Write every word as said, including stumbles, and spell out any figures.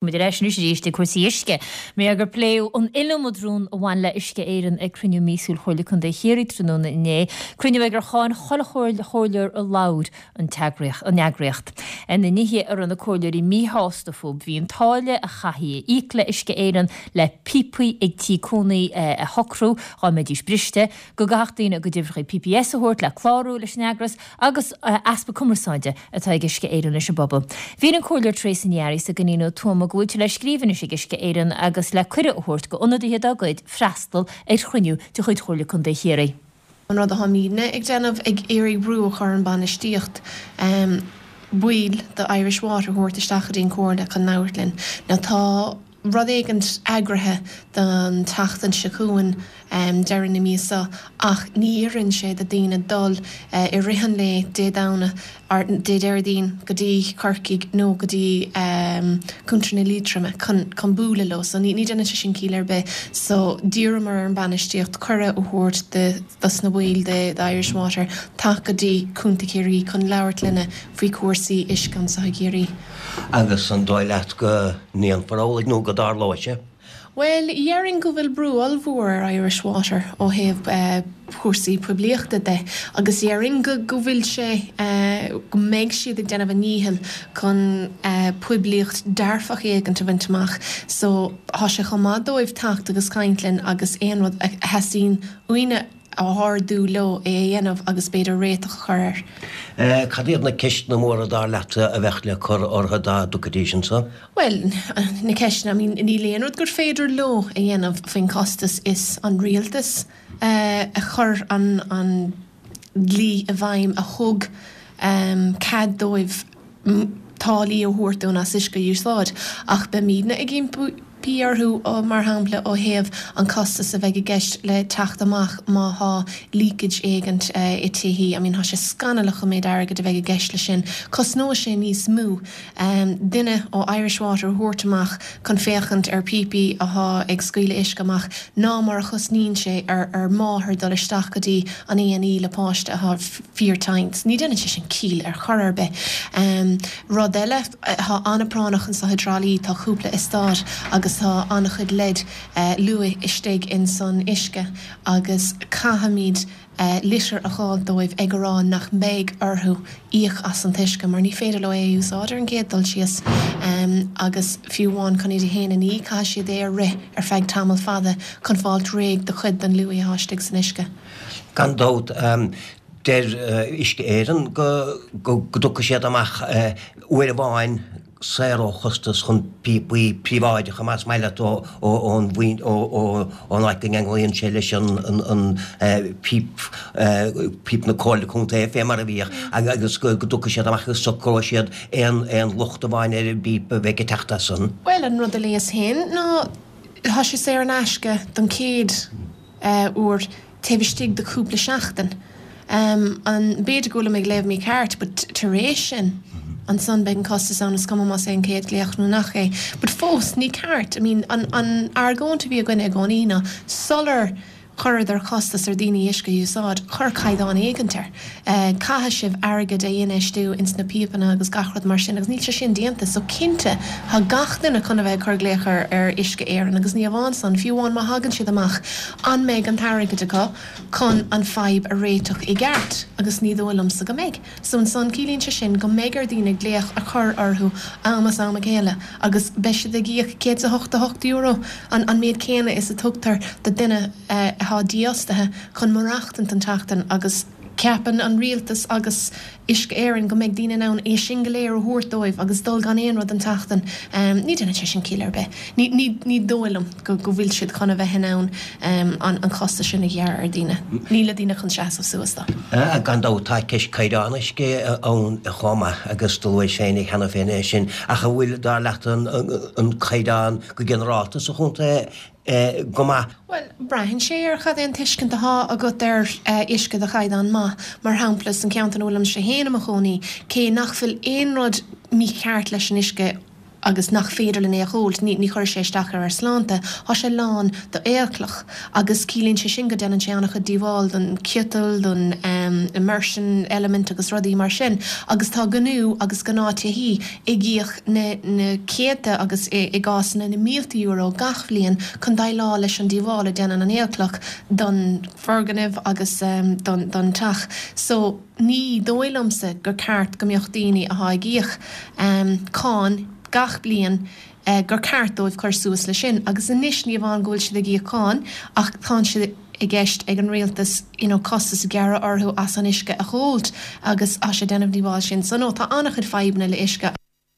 Muid ar ais anois arís ag cúrsaí uisce. Mar gur pléadh an iliomad rún a bhain le Uisce Éireann ag cruinniú míosúil Chomhairle Contae Chiarraí tráthnóna inné, cruinniú ag ar cháin chuile chomhairleoir a labhair an an eagraíocht. Ar na nithe a raibh na comhairleoirí míshásta fúthu bhí an táille a chaithfí a íoc le Uisce Éireann le píopaí ag tí cónaí a shocrú dá mbeidís briste, go gcaithfeadh daoine a gcuid uimhreacha P P S a thabhairt le clárú leis an eagras agus easpa cumarsáide atá ag Uisce Éireann leis an bpobal. Bhí an Comhairleoir Treasa Ní Fhearraigh go Nino Tuama go bhfuil sé le scríobh anois ag Uisce Éireann agus le cuireadh a thabhairt d'ionadaithe dá gcuid freastal ar chruinniú de chuid Chomhairle Contae Chiarraí. An rud atá muidne ag déanamh, ag iarraidh brú a chur an bainistíocht um, baill de Irish Water thabhairt isteach go dtí an Comhairle chun labhairt linn. Now tá rud éigin eagraithe don tseachtain seo chugainn um, deireadh na míosa, ach ní oireann sé do daoine dul uh, i rith an lae Dé Domhnaigh ar Dé Déardaoin go dtí Corcaigh nó go dtí um, Contae na Liatroma chun chun bualadh leo, so ní ní déanann sé sin ciall ar bith, so d'iarramar ar an bainistíocht cuireadh a thabhairt de dos na baill de, de Irish Water teacht go dtí Contae Chiarraí chun labhairt linne faoi cúrsaí uisce anseo i gCiarraí. Agus an dóigh leat go ndéanfar amhlaidh nó go dtarlóidh sé? Well, déarfainn go bhfuil brú ollmhór ar Irish Water ó thaobh uh, cúrsaí poiblíochta de, agus déarfainn go go bhfuil sé uh, go mbeidh siad ag déanamh a ndícheall chun uh, poiblíocht dearfach éigin a bhaint amach. So tá sé chomh maith dóibh teacht agus caint linn agus aon rud a theastaíonn uainne a ardú leo é a dhéanamh agus b'fhéidir réiteach a chur air. Eh, Cad iad na ceisteanna móra dar leat a bheadh le cur orthu dá dtiocfaidís anseo? Well, na ceisteanna, I mean, níl aon rud gur féidir leo a dhéanamh faoin costas. Is an rialtas uh, a chur an, an dlí i bhfeidhm a thug um, cead dóibh táillí a thabhairt dúinn as uisce a úsáid, ach beimidne ag impí orthu, mar shampla, ó thaobh an costas a bheidh i gceist le teacht amach má thá leakage éigin i dtithe. I mean, tá sé scannalach an méid airgid a bheidh i gceist le sin. Cosnóidh sé níos mó um, duine ó Irish Water a thabhairt amach chun féachaint ar píopaí atá ag scaoileadh uisce amach ná mar a chosnaíonn sé ar ar máthair dul isteach go dtí an A and E le páiste atá fíortinn. Ní déanann sé sin ciall ar chor ar bith. Um, rud eile tá an-phráinneach anseo i dTrá Lí, tá cúpla eastát agus tá an-chuid lead uh, luaidhe istigh in san uisce agus caithfimid uh, litir a fháil dóibh ag rá nach mbeidh orthu íoc as an uisce, mar ní féidir leo é a úsáid ar an gcéad dul síos, um, agus fiú amháin chun iad féin a ní, caithfidh siad é a rith ar feadh tamall fada chun fáil réidh de chuid den luaidhe atá istigh san uisce. Gan dabht, um, deir uh, Uisce Éireann go go dtiocfaidh siad amach uh, uair amháin saor ó chostas chun píopaí príobháideacha, más maith leat, ón ón áit go gceanglaíonn sé leis an an píp píp na Comhairle Contae fé mar a bhíodh, agus go dtiocfaidh siad amach agus socróidh siad aon aon locht amháin ar an bpíp a bheidh ag teacht as san. Well, an rud a léas féin ná tá sé saor in aisce don chéad uh, uair taobh istigh de cúpla seachtain. Um, an b'fhéidir go bhfuil mé ag léamh mícheart, but tar éis sin ansan beidh an costas ann, is cuma más é an chéad glaoch nó nach é. But fós ní ceart, I mean, an, an argóint a bhí againne i gcónaí ná sular chuireadar costas ar daoine uisce a úsáid, chuir caighdeán éigin air. Uh, Caithfidh sibh airgead a infheistiú ins na píopanna agus gach rud mar sin, agus níl sé sin déanta, so cinnte tá gach duine chun a bheith cur glaoch ar ar Uisce Éireann, agus ní amháin san, fiú amháin má thagann siad amach, an mbeidh an t-airgead acu chun an fadhb a réiteach i gceart? Agus ní dóigh liomsa go mbeidh. So ansan ciallaíonn sé sin go mbeidh ar daoine glaoch a chur orthu am as am a chéile agus beidh siad ag íoc céad a hocht a hocht euro, an, an méid céanna is a tugtar do duine uh, atá dífhostaithe chun maireachtaint an tseachtain, agus ceapann an rialtas agus Uisce Éireann go mbeidh daoine in ann é sin go léir a thabhairt dóibh agus dul gan aon rud an tseachtain. Um, ní déanann sé sin ciall ar bith. Ní, ní, ní dóigh liom go, go bhfuil siad chun a bheith in ann um, an, an costas sin a ghearradh ar daoine. Níl daoine chun seasamh suas dó. Uh, gan dabht tá ceist caighdeán uisce ann chomh maith, agus do luaigh féin cheana féin é sin, ach an bhfuil dar leat an, an, an caighdeán go ginearálta sa chontae eh, go maith? Well, braitheann sé ar cad é an tuiscint atá agat ar uh, uisce de chaighdeán maith. Mar shampla, san ceantar ina bhfuilimse féin i mo chónaí, cé nach bhfuil aon rud mícheart leis an uisce. agus nach féidir linn é a dh'ólt, ní chuirfidh sé isteach ar ár sláinte, tá sé lán d'aolchloch agus ciallaíonn sé sin go déanann sé an-chuid díobháil don ciotal, don immersion element agus rudaí mar sin agus tá gnó agus gnáth-tithí ag íoc na na céadta agus i gcásanna na mílte euro gach bhliain chun déileáil leis an díobháil a déanann an aolchloch don foirgneamh agus don don teach. So ní dóigh liomsa gur ceart go mbeadh daoine atá ag íoc cáin gach bliain gur ceart dóibh cur suas le sin agus anois ní amháin go bhfuil siad ag íoc cáin ach tá sé i gceist ag an rialtas you know costas a ghearradh orthu as an uisce a dh'ólt agus tá sé déanamh díobháil sin. So no tá an-chuid fadhbanna le uisce.